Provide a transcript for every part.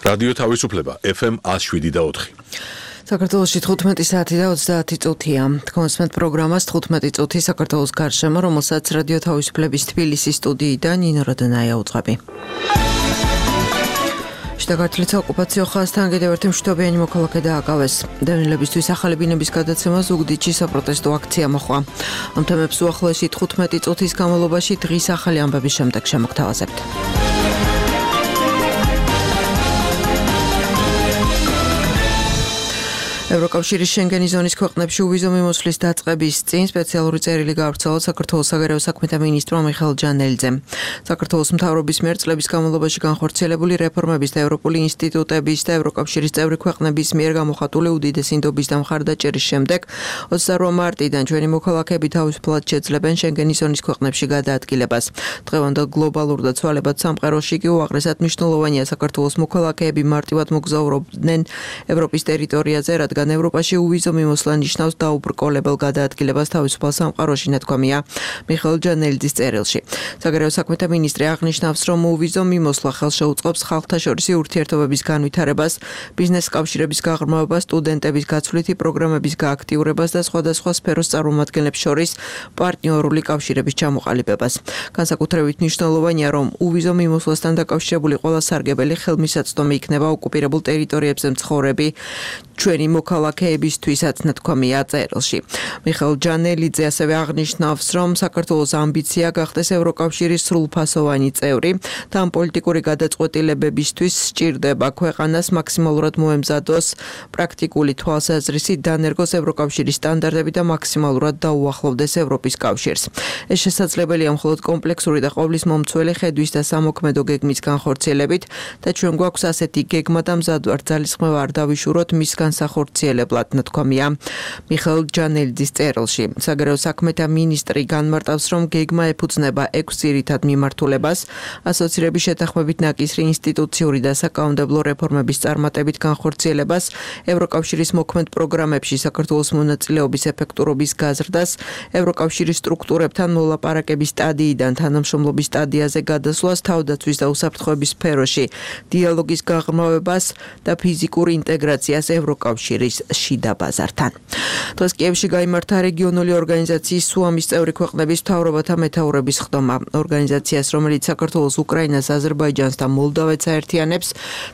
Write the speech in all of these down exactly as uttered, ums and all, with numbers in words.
რადიო თავისუფლება ეფ ემ one oh seven და four. საქართველოში თხუთმეტი საათი და ოცდაათი წუთია. Თქვენს პროგრამას თხუთმეტი წუთი საქართველოს გარშემო, რომელსაც რადიო თავისუფლების თბილისის სტუდიიდან ნინო როდანაია უძღვები. შტაგართლის ოკუპაციო ხაზთან კიდევ ერთი მშვიდობიანი მოქალაქე დააკავეს. დევნილებისთვის ახალი ბინების გადაცემა ზუგდიდში საპროტესტო აქცია მოხდა. ამ თემებს უახლოესი თხუთმეტი წუთის განმავლობაში დღის ახალი ამბების შემდეგ შემოგთავაზებთ. ევროკავშირის შენგენის ზონის ქვეყნებში უვიზო მიმოსვლის დაწყების წინ სპეციალური წერილი გაავრცელა საქართველოს საგარეო საქმეთა მინისტრმა მიხეილ ჯანელიძემ. საქართველოს მთავრობის მიერ წლების განმავლობაში განხორციელებული რეფორმების და ევროპული ინსტიტუტების და ევროკავშირის წევრი ქვეყნების მიერ გამოხატული უდიდესი ნდობის და მხარდაჭერის შემდეგ ოცდაოთხ მარტიდან ჩვენი მოქალაქეები თავისუფლად შეძლებენ შენგენის ზონის ქვეყნებში გადაადგილებას. დღევანდელ გლობალურ და ცვალებად სამყაროში კი უაღრესად მნიშვნელოვანია საქართველოს მოქალაქეები მარტივად მოგზაურობდნენ ევროპის ტერიტორიაზე, რადგან ევროპაში უვიზო მიმოსვლა ნიშნავს დაუბრკოლებელ გადაადგილებას თავისუფალ სამყაროში, ნათქვამია მიხეილ ჯანელიძის წერილში. საგარეო საქმეთა მინისტრი აღნიშნავს, რომ უვიზო მიმოსვლა ხელს შეუწყობს ხალხთაშორისი ურთიერთობების განვითარებას, ბიზნეს კავშირების გაღრმავებას, სტუდენტების გაცვლითი პროგრამების გააქტიურებას და სხვადასხვა სფეროს წარმომადგენლებს შორის პარტნიორული კავშირების ჩამოყალიბებას. განსაკუთრებით მნიშვნელოვანია, რომ უვიზო მიმოსვლასთან დაკავშირებული ყველა სარგებელი ხელმისაწვდომი იქნება ოკუპირებულ ტერიტორიებზე მცხოვრები ჩვენი მოქალაქეებისთვისაც, ნათქვამია წერილში. მიხეილ ჯანელიძე ასევე აღნიშნავს, რომ საქართველოს ამბიცია გახდეს ევროკავშირის სრულფასოვანი წევრი და ამ პოლიტიკური გადაწყვეტილებებისთვის სჭირდება ქვეყანას მაქსიმალურად მოემზადოს პრაქტიკული თვალსაზრისით, დანერგოს ევროკავშირის სტანდარტები და მაქსიმალურად დაუახლოვდეს ევროპის კავშირს. ეს შესაძლებელია მხოლოდ კომპლექსური და ყოვლის მომცველი ხედვის და სამოქმედო გეგმის განხორციელებით და ჩვენ გვაქვს ასეთი გეგმა და მზადვართ ძალისხმევა არ დავიშუროთ მის განსახორციელებლად, ნათქვამია მიხეილ ჯანელიძის წერილში. საგარეო საქმეთა მინისტრი განმარტავს, რომ გეგმა ეფუძნება ექვს ძირითად მიმართულებას, ასოცირების შეთანხმებით ნაკისრი ინსტიტუციური და საკანონმდებლო რეფორმების წარმატებით განხორციელებას, ევროკავშირის მოქმედ პროგრამებში საქართველოს მონაწილეობის ეფექტურობის გაზრდას, ევროკავშირის სტრუქტურებთან მოლაპარაკების სტადიიდან თანამშრომლობის სტადიაზე გადასვლას, თავდაცვის და უსაფრთხოების სფეროში დიალოგის გაღრმავებას და ფიზიკურ ინტეგრაციას ევროკავშირის შიდა ბაზართან. დღეს კიევში გაიმართა რეგიონული ორგანიზაციის სუამის წევრი ქვეყნების მთავრობათა მეთაურების ხდომა. ორგანიზაციას, რომელიც საქართველოს, უკრაინას, აზერბაიჯანს და მოლდავეთს აერთიანებს,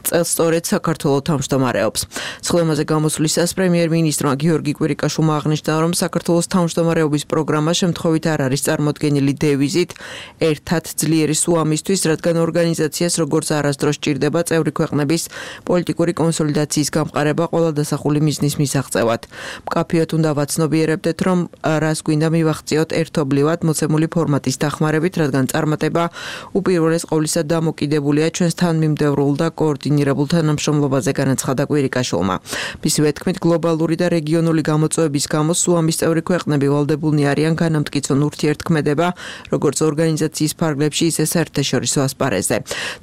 წელს სწორედ საქართველოს თავმჯდომარეობს. სხდომაზე გამოსვლისას პრემიერ-მინისტრმა გიორგი კვირიკაშვილმა აღნიშნა, რომ საქართველოს თავმჯდომარეობის პროგრამა შემთხვევით არ არის წარმოდგენილი დევიზით ერთად ძლიერი სუამისთვის, რადგან ორგანიზაციას როგორც არასდროს სჭირდება წევრი ქვეყნების პოლიტიკური კონსოლიდაციის გამყარება ყველა დასახული მიზნის მისაღწევად. მკაფიოდ უნდა ვაცნობიერებდეთ, რომ რას გვინდა მივახციოთ ერთობლივად მოცემული ფორმატის დახმარებით, რადგან წარმატება უპირველეს ყოვლისა დამოკიდებულია ჩვენს თანმიმდევრულ და კოორდინირებულ თანამშრომლობაზე, განაცხადა კვირიკაშვილმა. მისივე თქმით, გლობალური და რეგიონული გამოწვევების გამო სუამის წევრი ქვეყნები ვალდებულნი არიან განამტკიცონ ურთიერთქმედება, როგორც ორგანიზაციის ფარგლებში, ისე საერთაშორისო ასპარეზზე.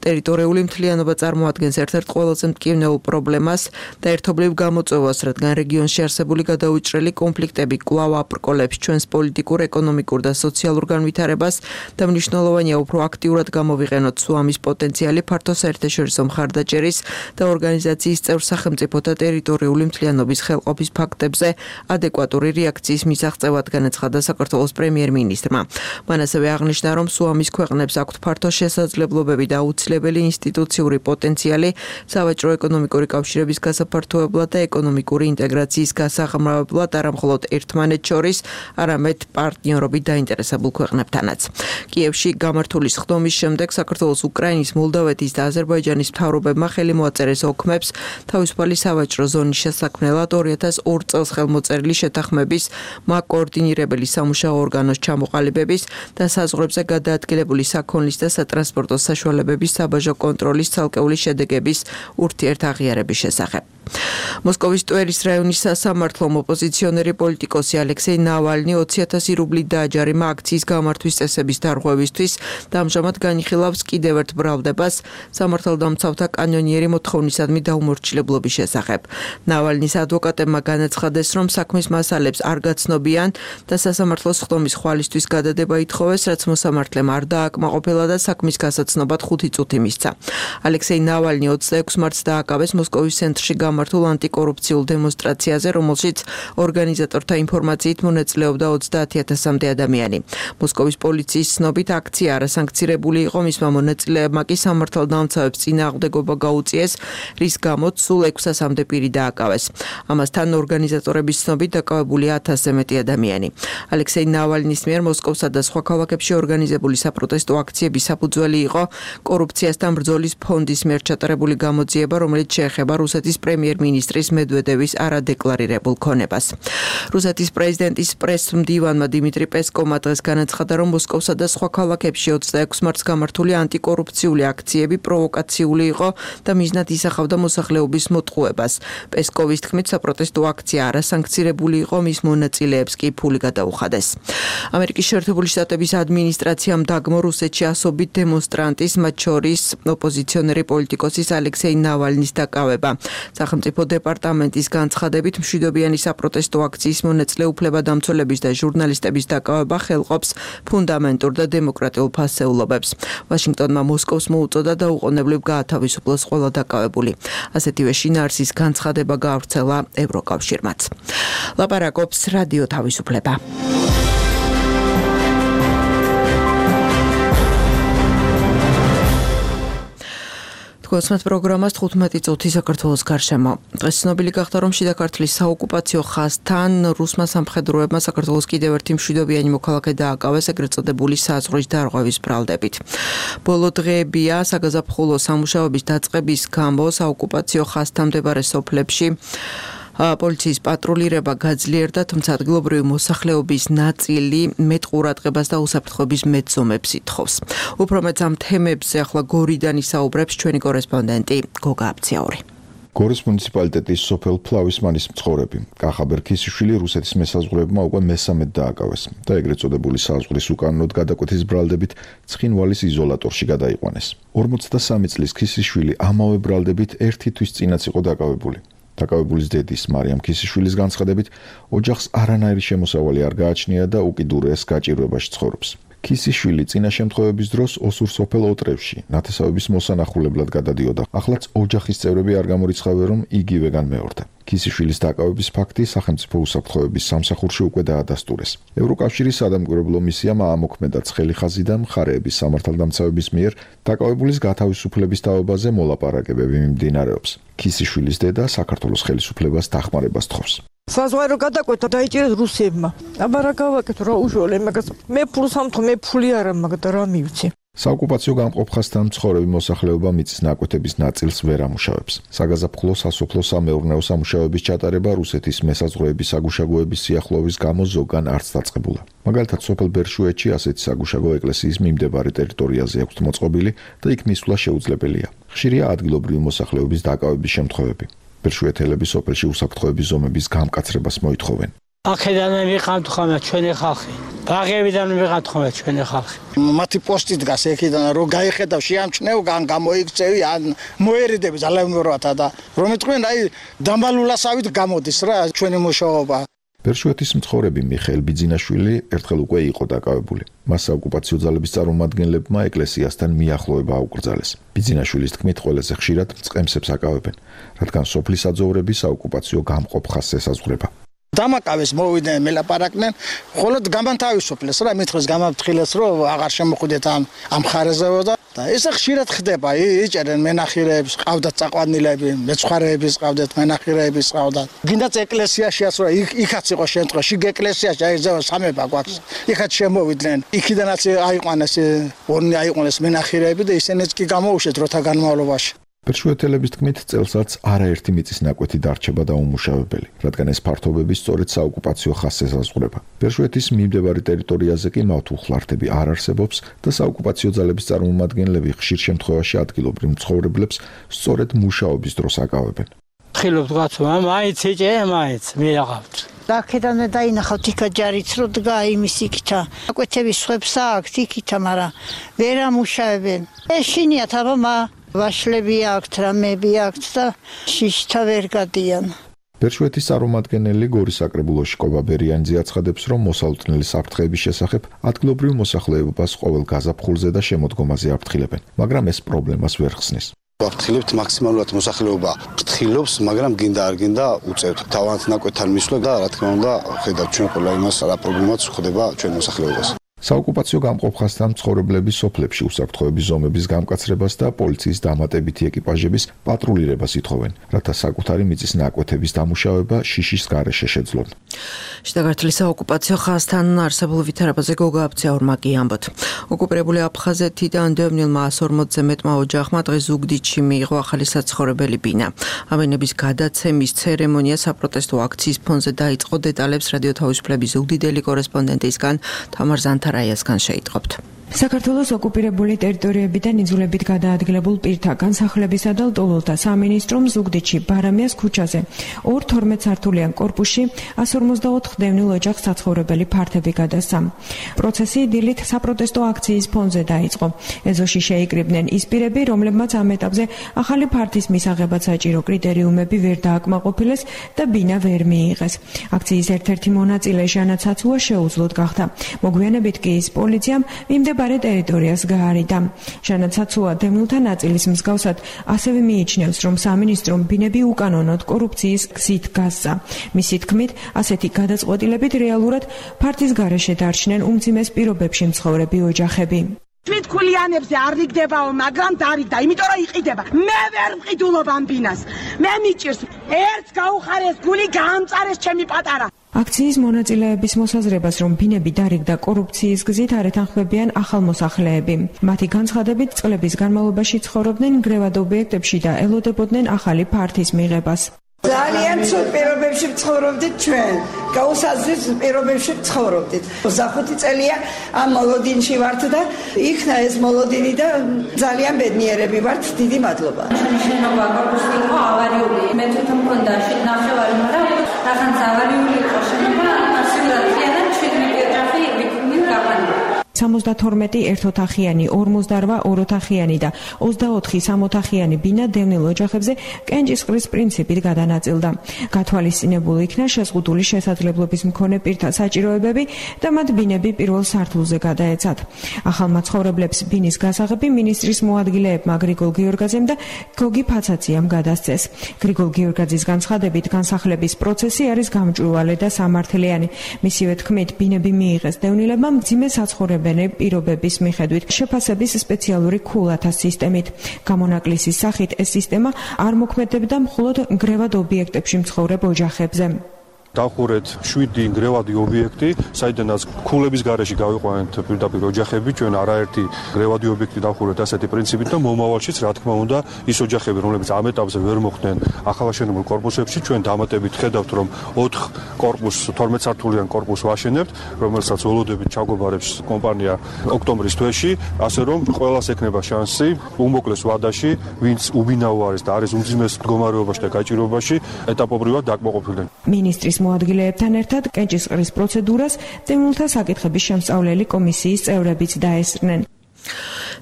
ტერიტორიული მთლიანობა წარმოადგენს ერთ-ერთ ყველაზე მტკივნეულ პრობლემას და ერთობლივ გამოწვევას, რადგან რეგიონში არსებული გადაუჭრელი კონფლიქტები კვლავ აბრკოლებს ჩვენს პოლიტიკურ, ეკონომიკურ და სოციალურ განვითარებას და მნიშვნელოვანია უფრო აქტიურად გამოვიყენოთ სუამის პოტენციალი ფართო საერთაშორისო მხარდაჭერის და ორგანიზაციის წევრ სახელმწიფოთა ტერიტორიული მთლიანობის ხელყოფის ფაქტებზე ადეკვატური რეაქციის მისაღწევად, განაცხადა საქართველოს პრემიერ-მინისტრმა. მან ასევე აღნიშნა, რომ სუამის ქვეყნებს აქვთ ფართო შესაძლებლობები და აუცილებელი ინსტიტუციური პოტენციალი სავაჭრო ეკონომიკური კავშირების გასაფართოებლად და ეკონომიკური ინტეგრაციის გასაღრმავებლად არა მხოლოდ ერთმანეთს შორის, არამედ პარტნიორობით დაინტერესებულ ქვეყნებთანაც. კიევში გამართული სხდომის შემდეგ საქართველოს, უკრაინის, მოლდავეთის და აზერბაიჯანის მთავრობებმა ხელი მოაწერეს ოქმებს თავისუფალი სავაჭრო ზონის შესაქმნელად ორი ათას ორ წელს ხელმოწერილი შეთანხმების მაკოორდინირებელი სამუშაო ორგანოს ჩამოყალიბების და საზღვრებზე გადაადგილებული საქონლის და სატრანსპორტო საშუალებების საბაჟო კონტროლის ცალკეული შედეგების ურთიერთაღიარების შესახებ. მოსკოვის ტვერის რაიონის სასამართლომ ოპოზიციონერი პოლიტიკოსი ალექსეი ნავალნი ოცი ათასი რუბლით დააჯარიმა აქციის გამართვის წესების დარღვევისთვის და ამჟამად განიხილავს კიდევ ერთ ბრალდებას სამართალდამცავთა კანონიერი მოთხოვნისადმი დაუმორჩილებლობის შესახებ. ნავალნის ადვოკატებმა განაცხადეს, რომ საქმის მასალებს არ გაცნობიან და სასამართლოს ხდომის ხვალისთვის გადადება ითხოვეს, რაც მოსამართლემ არ დააკმაყოფილა და საქმის გასაცნობად ხუთი წუთი მისცა. ალექსეი ნავალნი ოცდაექვსი მარტს დააკავეს მოსკოვის ცენტრში გამართულ ანტიკორუფციულ დემონსტრაციაზე, რომელშიც ორგანიზატორთა ინფორმაციით მონაწილეობდა ოცდაათი ათასამდე ადამიანი. მოსკოვის პოლიციის ცნობით აქცია არასანქცირებული იყო, მისმა მონაწილეებმა კი სამართალდამცავებს წინააღმდეგობა გაუწიეს, რის გამოც სულ ექვსასამდე პირი დააკავეს. ამასთან ორგანიზატორების ცნობით დაკავებულია ათასზე მეტი ადამიანი. ალექსეი ნავალნის მიერ მოსკოვსა და სხვა ქალაქებში ორგანიზებული საპროტესტო აქციების საფუძველი იყო კორუფციასთან ბრძოლის ფონდის მიერ ჩატარებული გამოძიება, რომელიც შეეხება რუსეთის პრემიერ-მინისტრის მედვედევის არადეკლარირებულ ქონებას. რუსეთის პრეზიდენტის პრეს-მდივანმა დიმიტრი პესკოვმა დღეს განაცხადა, რომ მოსკოვსა და სხვა ქალაქებში ოცდაექვსი მარტს გამართული ანტიკორუფციული აქციები პროვოკაციული იყო და მიზნად ისახავდა მოსახლეობის მოტყუებას. პესკოვის თქმით, საპროტესტო აქცია არასანქცირებული იყო, მის მონაწილეებს კი ფული გადაუხადეს. ამერიკის შეერთებული შტატების ადმინისტრაციამ დაგმო რუსეთში ასობით დემონსტრანტის, მათ შორის ოპოზიციონერი პოლიტიკოსის ალექსეი ნავალნის დაკავება. სახელმწიფო დეპარტამენტის განცხადებით, მშვიდობიანი საპროტესტო აქციის მონაწილე უფლებადამცველების და ჟურნალისტების დაკავება ხელყოფს ფუნდამენტურ და დემოკრატიულ ფასეულობებს. ვაშინგტონმა მოსკოვს მოუწოდა დაუყოვნებლივ გაათავისუფლოს ყველა დაკავებული. ასეთივე შინაარსის განცხადება გაავრცელა ევროკავშირმაც. ლაპარაკობს რადიო თავისუფლება. გოსმათ პროგრამას თხუთმეტი წუთი საქართველოს გარშემო. დღეს ცნობილი გახდა, რომ შიდა ქართლის საოკუპაციო ხაზთან რუსმა სამხედროებმა საქართველოს კიდევ ერთი მშვიდობიანი მოქალაქე დააკავეს ეგრეთ წოდებული საზღვრის დარღვევის ბრალდებით. ბოლო დღეებია საგაზაფხულო სამუშაოების დაწყების გამო საოკუპაციო ხაზთან მდებარე სოფლებში პოლიციის პატრულირება გაძლიერდა, თუმცა ადგილობრივი მოსახლეობის ნაწილი მეტ ყურადღებას და უსაფრთხოების მეცომებს ითხოვს. უფრო მეტ ამ თემებზე ახლა გორიდან ისაუბრებს ჩვენი კორესპონდენტი გოგა აბციაური. გორის მუნიციპალიტეტის სოფელ ფლავისმანის მცხოვრები კახაბერ ქისიშვილი რუსეთის მესაზღვრეებმა უკვე მესამედ დააკავეს და ეგრეთ წოდებული საზღვრის უკანონოდ გადაკვეთის ბრალდებით ცხინვალის იზოლატორში გადაიყვანეს. ორმოცდასამი წლის ქისიშვილი ამავე ბრალდებით ერთი თვის წინაც იყო დაკავებული. დაკავებულის დედის მარიამ ქისიშვილის განცხადებით, ოჯახს არანაირი შემოსავალი არ გააჩნია და უკიდურეს გაჭირვებაში ცხოვრობს. ქისიშვილი წინა შემთხვევების დროს ოსურ სოფელ ოტრევში ნათესავების მოსანახულებლად გადადიოდა. ახლაც ოჯახის წევრები არ გამორიცხავენ, რომ იგივე განმეორდა. ქისიშვილის დაკავების ფაქტი სახელმწიფო უსაფრთხოების სამსახურში უკვე დაადასტურეს. ევროკავშირის სადამკვირვებლო მისიამ აამოქმედა ცხელი ხაზი და მხარეების სამართალდამცავების მიერ დაკავებულის გათავისუფლების თაობაზე მოლაპარაკებები მიმდინარეობს. ქისიშვილის დედა საქართველოს ხელისუფლებას დახმარებას თხოვს. საზღვარო გადაკვეთა დაიჭირეს რუსებმა. აბა რა გავაკეთო, რა უშუალო მაგას. მე ფულს ამთხოვ, მე ფული არა მაგ და რა მივცე. საოკუპაციო გამყოფ ხაზთან მცხოვრები მოსახლეობა მიწის ნაკვეთების ნაწილს ვერ ამუშავებს. საგაზაფხულო სასოფლო სამეურნეო სამუშაოების ჩატარება რუსეთის მესაზღვრეების საგუშაგოების სიახლოვის გამო ზოგან არც დაწყებულა. მაგალითად, სოფელ ბერშუეთში ასეთი საგუშაგო ეკლესიის მიმდებარე ტერიტორიაზე აქვს მოწყობილი და იქ მისვლა შეუძლებელია. ხშირია ადგილობრივი მოსახლეობის დაკავების შემთხვევები. ბერშუეთელები სოფელში უსაფრთხოების ზომების გამკაცრებას მოითხოვენ. აქედან მიყავთ ხოლმე ჩვენი ხალხი. ბაღებიდან მიყავთ ხოლმე ჩვენი ხალხი. მათი პოსტი დგას ეკიდან რომ გაიხედავ შეამჩნევ ან გამოიქცევი ან მოერიდები ძალაუნურათა და რომ ეთქვენ აი დამალულასავით გამოდის რა ჩვენი მუშაობა. ბერშუეთის მცხოვრები მიხეილ ბიძინაშვილი ერთხელ უკვე იყო დაკავებული. მას საოკუპაციო ძალების წარმომადგენლებმა ეკლესიასთან მიახლოება აუკრძალეს. ბიძინაშვილის თქმით, ყველაზე ხშირად მწყემსებს აკავებენ, რადგან სოფლის აძოვრები საოკუპაციო გამყოფ ხაზს ესაზღვრება. დამაკავეს მოვიდნენ მელაპარაკდნენ, მხოლოდ გამანთავისუფლეს რა მითხეს გამაფრთხილეს რომ აღარ შემოხვიდეთ ამ ამ ხარეზეო და ესე ხშირად ხდება, იჭერენ მენახირეებს, ყავდათ წაყვანილები, მეცხვარეების ყავდათ, მენახირეების ყავდათ. გინდაც ეკლესიაშიაც რა იქაც იყო შემთხვევა, შიგ ეკლესიაში აი ზევა სამება გვაქვს. იქაც შემოვიდნენ. იქიდანაც აიყვანეს, ორნი აიყვანეს მენახირეები და ისინიც კი გამოუშვეს დროთა განმავლობაში. ბერშუეთელების თქმით, წელსაც არაერთი მიწის ნაკვეთი დარჩება დაუმუშავებელი, რადგან ეს ფართობები სწორედ საოკუპაციო ხაზს ესაზღვრება. ბერშუეთის მიმდებარე ტერიტორიაზე კი მავთულხლართები არ არსებობს და საოკუპაციო ძალების წარმომადგენლები ხშირ შემთხვევაში ადგილობრივ მცხოვრებლებს სწორედ მუშაობის დროს აკავებენ. ვფრთხილობთ გაცო, მაინც ეჭე, მაინც მე აღავთ. აქედან დაინახავთ იქა ჯარიც რო დგა იმის იქითა. აკვეთების სხვებს აქვს იქითა, მაგრამ ვერ ამუშავებენ. ეშინიათ აბა ვაშლები აქვთ, რამები აქვთ და შიშთა ვერ გადიან. ბერშვეთის წარმომადგენელი გორის საკრებულოში კობა ბერიანიძე აცხადებს, რომ მოსალოდნელი საფრთხეების შესახებ ადგილობრივ მოსახლეობას ყოველ გაზაფხულზე და შემოდგომაზე აფრთხილებენ, მაგრამ ეს პრობლემას ვერ ხსნის. ვაფრთხილებთ მაქსიმალურად მოსახლეობა ფრთხილობს, მაგრამ გინდა არ გინდა უწევთ თავიანთ ნაკვეთთან მისვლა და რა თქმა უნდა ხედავთ ჩვენ ყველა იმას რა პრობლემაც ხდება ჩვენ მოსახლეობას. საოკუპაციო გამყოფ ხაზთან მცხოვრებლების სოფლებში უსაფრთხოების ზომების გამკაცრებას და პოლიციის დამატებითი ეკიპაჟების პატრულირებას ითხოვენ, რათა საკუთარი მიწის ნაკვეთების დამუშავება შიშის გარეშე შეძლონ. შიდა ქართლის საოკუპაციო ხაზთან არსებულ ვითარებაზე გოგა აბციაურმა კი ამბობთ. ოკუპირებული აფხაზეთიდან დევნილმა ას ორმოცზე მეტმა ოჯახმა დღეს ზუგდიდში მიიღო ახალი საცხოვრებელი ბინა. ამენების გადაცემის ცერემონია საპროტესტო აქციის ფონზე დაიწყო. დეტალებს რადიო თავისუფლების ზუგდიდელი კორესპონდენტისგან თამარ ზანთარაიასგან შეიტყობთ. საქართველოს ოკუპირებული ტერიტორიებიდან იძულებით გადაადგილებულ პირთა განსახლებისა და ლტოლვილთა სამინისტრომ ზუგდიდში ბარამიას ქუჩაზე ორ თორმეტ სართულიან კორპუსში ას ორმოცდაოთხ დევნილ ოჯახს საცხოვრებელი ფართები გადასცა. პროცესი დილით საპროტესტო აქციის ფონზე დაიწყო. ეზოში შეიკრიბნენ ის პირები, რომლებმაც ამ ეტაპზე ახალი ფართის მისაღებად საჭირო კრიტერიუმები ვერ დააკმაყოფილეს და ბინა ვერ მიიღეს. აქციის ერთ-ერთი მონაწილე ჟანა ცაცუა შეუძლოდ გახდა. მოგვიანებით კი ის პოლიციამ მიმდებარე ბარე ტერიტორიას გაარიდა. ჟანა ცაცუა დევნილთა ნაწილის მსგავსად ასევე მიიჩნევს, რომ სამინისტრომ ბინები უკანონოდ კორუფციის გზით გასცა. მისი თქმით, ასეთი გადაწყვეტილებით რეალურად ფართის გარეშე დარჩნენ უმძიმეს პირობებში მცხოვრები ოჯახები. თვითქულიანებზე არ რიგდებაო, მაგრამ დარიგდა, იმიტომ რომ იყიდება. მე ვერ მყიდულობ ამ ბინას. მე მიჭირს, ერთს გაუხარეს გული, გაამწარეს ჩემი პატარა. აქციის მონაწილეების მოსაზრებას, რომ ბინები დარიგდა კორუფციის გზით, არ ეთანხმებიან ახალმოსახლეები. მათი განცხადებით, წლების განმავლობაში ცხოვრობდნენ გრევად ობიექტებში და ელოდებოდნენ ახალი ფართის მიღებას. ძალიან ცუდ პირობებში ცხოვრობდით ჩვენ. გაუსაზღვის პირობებში ცხოვრობდით. ოცდახუთი წელია ამ მოლოდინში ვართ და იქნა ეს მოლოდინი და ძალიან ბედნიერები ვართ. დიდი მადლობა. შენობა კორპუსი იყო ავარიული. მე თვითონ მქონდა შენ ნახევარი, მაგრამ რაღაც ავარიული იყო შენობა, ასეულად ხიანად ჩვენი ოჯახი ვიქნით გაყვანა. სამოცდათორმეტი ერთოთახიანი, ორმოცდარვა ოროთახიანი და ოცდაოთხი სამოთახიანი ბინა დევნილ ოჯახებზე კენჭისყრის პრინციპით გადანაწილდა. გათვალისწინებული იქნა შეზღუდული შესაძლებლობის მქონე პირთა საჭიროებები და მათ ბინები პირველ სართულზე გადაეცათ. ახალმა ცხოვრებლებს ბინის გასაღები მინისტრის მოადგილეებმა გრიგოლ გიორგაძემ და გოგი ფაცაციამ გადასცეს. გრიგოლ გიორგაძის განცხადებით, განსახლების პროცესი არის გამჭვირვალე და სამართლიანი. მისივე თქმით, ბინები მიიღეს დევნილებმა მძიმე საცხოვრებელი პირობების მიხედვით შეფასების სპეციალური ქულათა სისტემით. გამონაკლისის სახით ეს სისტემა არ მოქმედებდა მხოლოდ გრევად ობიექტებში მცხოვრებ ოჯახებზე. დავხურეთ შვიდი გრევადი ობიექტი, საიდანაც ქულების გარეშე გავიყვანეთ პირდაპირ ოჯახები, ჩვენ არაერთი გრევადი ობიექტი დავხურეთ ასეთი პრინციპით და მომავალშიც რა თქმა უნდა ის ოჯახები, რომლებიც ამ ეტაპზე ვერ მოხვდნენ ახალაშენებულ კორპუსებში, ჩვენ დამატებით ხედავთ, რომ ოთხ კორპუსს, თორმეტ სართულიან კორპუსს ვაშენებთ, რომელსაც ველოდებით ჩაგვაბარებს კომპანია ოქტომბრის თვეში, ასე რომ ყველას ექნება შანსი უმოკლეს ვადაში, ვინც უბინაო არის და არის უმძიმეს მდგომარეობაში და გაჭირვებაში, ეტაპობრივად დაკმაყოფილდნენ. მინისტრის მოადგილეებთან ერთად კენჭისყრის პროცედურას დევნილთა საკითხების შემსწავლელი კომისიის წევრებიც დაესწრნენ.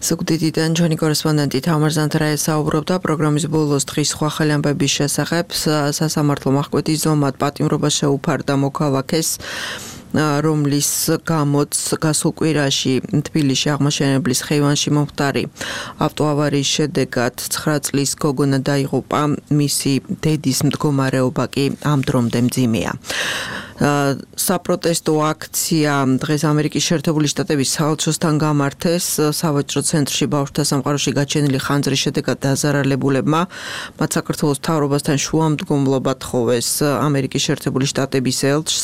ზუგდიდიდან ჩვენი კორესპონდენტი თამარ ზანთარაია საუბრობდა პროგრამის ბოლოს დღის სხვა ხელი ამბების შესახებ. სასამართლო მახკვეთის ზომად პატიმრობა შეუფარდა მოქალაქეს, რომლის გამოც გასულ კვირაში თბილისში აღმაშენებლის ხეივანში მომხდარი ავტოავარიის შედეგად ცხრა წლის გოგონა დაიღუპა, მისი დედის მდგომარეობა კი ამ დრომდე მძიმეა. საპროტესტო აქცია დღეს ამერიკის შეერთებული შტატების საელჩოსთან გამართეს. სავაჭრო ცენტრში ბავშვთა სამყაროში გაჩენილი ხანძრის შედეგად დაზარალებულებმა მათ საქართველოს მთავრობასთან შუამდგომლობა თხოვეს ამერიკის შეერთებული შტატების ელჩს.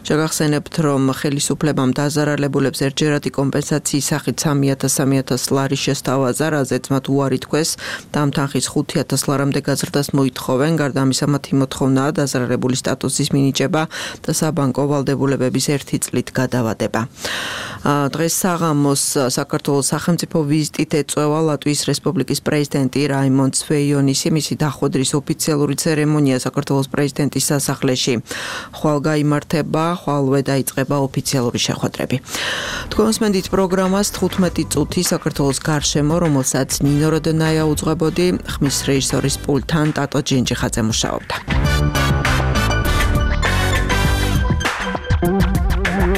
შეგახსენებთ, რომ ხელისუფლებამ დაზარალებულებს ერთჯერადი კომპენსაციის სახით სამი ათას სამი ათას ლარი შესთავაზა, რაზეც მათ უარი თქვეს და ამ თანხის ხუთი ათას ლარამდე გაზრდას მოითხოვენ. გარდა ამისა, მათი მოთხოვნაა დაზარალებული სტატუსის მინიჭება და საბანკო ვალდებულებების ერთი წლით გადავადება. დღეს საღამოს საქართველოს სახელმწიფო ვიზიტით ეწევა ლატვიის რესპუბლიკის პრეზიდენტი რაიმონდ სვეიონისი. მისი დახვედრის ოფიციალური ცერემონია საქართველოს პრეზიდენტის სასახლეში ხვალ გაიმართება, ხვალვე დაიწყება ოფიციალური შეხვედრები. თქვენს მენდით პროგრამას თხუთმეტი წუთი საქართველოს გარშემო, რომელსაც ნინო როდონაია უძღვებოდი, ხმის რეჟისორის პულტთან ტატო ჯინჯიხაძე მუშაობდა.